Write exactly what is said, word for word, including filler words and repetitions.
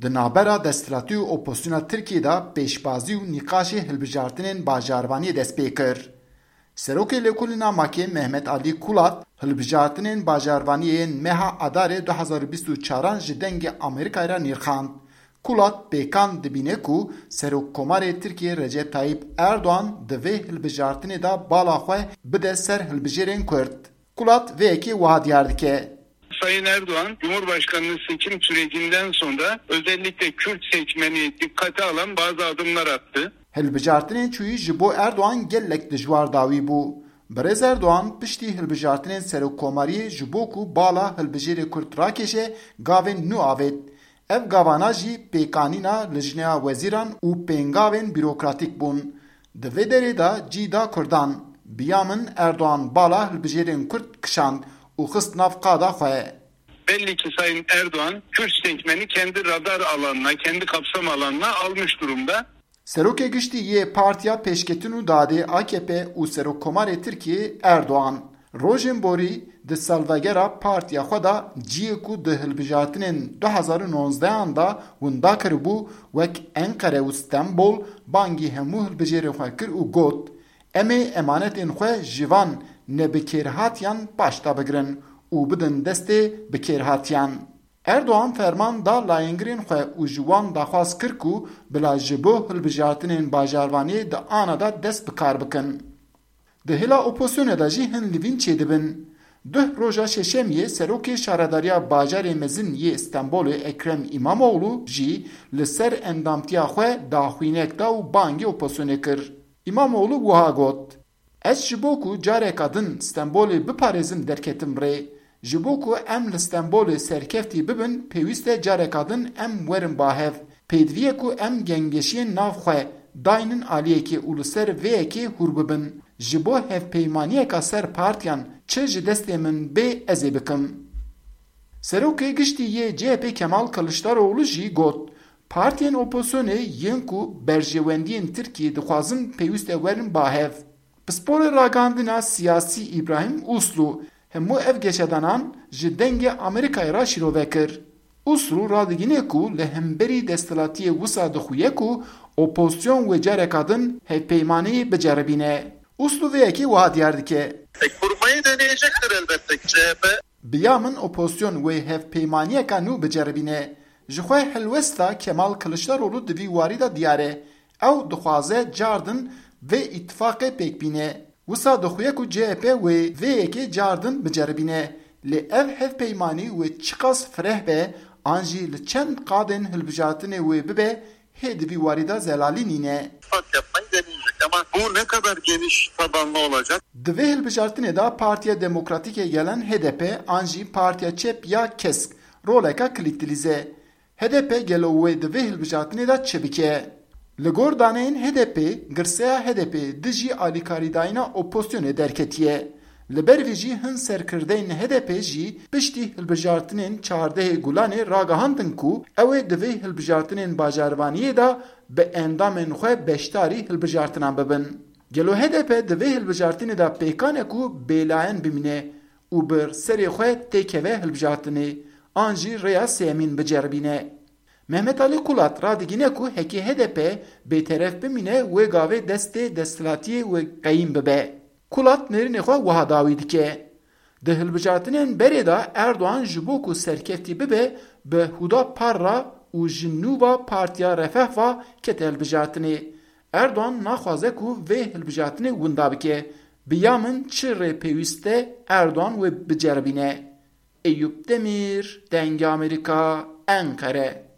Di navbera desthilatî û opozisyona Tirkiyê de pêşbazî û nîqaşê hilbijartinên bajarvaniyê dest pê kir. Serokê Lêkolîna Makê Mehmet Alî Kulat hilbijartinên bajarvaniyê yên meha Adarê du hezar û bîst û çaran ji Dengê Amerîkayê re nirxand. Kulat pêkan dibîne ku Serokkomarê Tirkiyê Recep Tayyip Erdoğan di vê hilbijartinê de bala xwe bide ser hilbijêrên Kurd. Kulat vê yekê wiha diyar dike. Sayın Erdoğan, Cumhurbaşkanlığı seçim sürecinden sonra özellikle Kürt seçmeni dikkate alan bazı adımlar attı. Hilbijartinên çûyî ji bo Erdoğan gelek dijwar dawî bû. Birêz Erdoğan piştî hilbijartinên serokkomariyê ji bo ku bala hilbijêrê Kurd rakêşe, gavên nû avêt. Ev gavana jî pêkanîna Lijneya Wezîran û pêngavên bîrokratîk bûn. Di vê derê de cî da Kurdan. Bi ya min Erdoğan bala hilbijêrên Kurd kişand û xist nav qada xwe. Belli ki Sayın Erdoğan Kürt seçmeni kendi radar alanına, kendi kapsam alanına almış durumda. Serokê Giştî yê Partiya Pêşketin û Dadê A K P û Serokkomarê Tirkiyê Erdoğan. Rojên borî di salvegera partiya xwe de ciyê ku di hilbijartinên du hezar û nozdehan de winda kiribû, wek Enqere û Stenbol, bangî hemû hilbijêrên xwe kir û got, "Em ê emanetên xwe ji van nebikêrhatiyan paşta bigirin û bidin destê bikêrhatiyan." Erdoğan ferman da layengirên xwe û ji wan daxwaz kir ku bila ji bo hilbijartinên bajarvaniyê di ana de dest bi kar bikin. Di hêla opozisyonê de jî hin livîn çêdibin. Duh roja şeşemiyê serokê şaredariya bajarê mezin yê Stenbolê Ekrem Îmamoğlu jî li ser endamtiya xwe daxwînek da û bangê opozisyonê kir. Îmamoğlu wiha got, "Ez ji bo ku careka din Stenbolê biparêzim derketim rê. Ji bo ku em li Stenbolê serkeftî bibin, pêwîst e careka din em werin ba hev. Pêdivî ye ku em gengeşiyên nav xwe daynin aliyekê û li ser vê yekê hûr bibin. Ji bo hevpeymaniyeka ser partiyan çi ji destê min bê ez ê bikim." Serokê Giştî yê C H P Kemal Kılıçdaroğlu jî got, "Partiyên opozisyonê yên ku berjewendiyên Tirkiyê dixwazin pêwîst e werin ba hev." Pisporê ragihandina siyasî Îbrahîm Uslu hemû ev geşedanan ji Dengê Amerîkayê re şîrove kir. Uslu radigîne ku li hemberî desthilatiyê wisa dixuye ku opozisyon wê careka din hevpeymaniyê biceribîne. Uslu vê yekê wiha diyar dike. E, kurmayı deneyecektir elbette ki C H P. Bi ya min opozisyon wê hevpeymaniyeka nû biceribîne. Ji xwe helwesta Kemal Kılıçdaroğlu di vî warî de diyar e. Ew dixwaze cardin vê îtifaqê pêk bîne. Wisa dixuye ku C H P wê vê yekê cardin biceribîne. Lê ev hevpeymanî wê çiqas fireh be, an jî li çend qadên hilbijartinê wê bibe, hê di vî warî de zelalî nîne. İttifak yapmayı deneyecek ama bu ne kadar geniş tabanlı olacak? Di vê hilbijartinê de Partiya Demokratîk a Gelen, H D P, an jî Partiya Çep ya Kesk roleka kilît dilîze. H D P gelo wê di vê hilbijartinê de çi bike? Li gor daneyên H D P, girseya H D P dijî alîkarîdayîna opozisyonê derketiye. Li ber vî jî hin serkirdeyên H D P jî piştî hilbijartinên çardehê Gulanê ragihandin ku ew ê di vê hilbijartinên bajarvaniyê de bi endamên xwe beşdarî hilbijartinan bibin. Gelo H D P di vê hilbijartinê de pêkan e ku bêlayen bimîne û bi serê xwe têkeve hilbijartinê, an jî rêya sêyemîn biceribîne? Mehmet Alî Kulat radigîne ku hekî H D P bêteref bimîne, wê gavê destê desthilatiyê wê qeyîm bibe. Kulat nêrînê xwe wiha dawî dike. Di hilbijartinên berê de Erdogan ji bo ku serkeftî bibe, bi Huda Parra û ji nû ve Partiya Refah ve kete hilbijartinê. Erdogan naxwaze ku vê hilbijartinê winda bike. Bi ya min çi rê pêwîst e, Erdogan wê biceribîne. Eyûp Demîr, Dengê Amerîka, Enqere.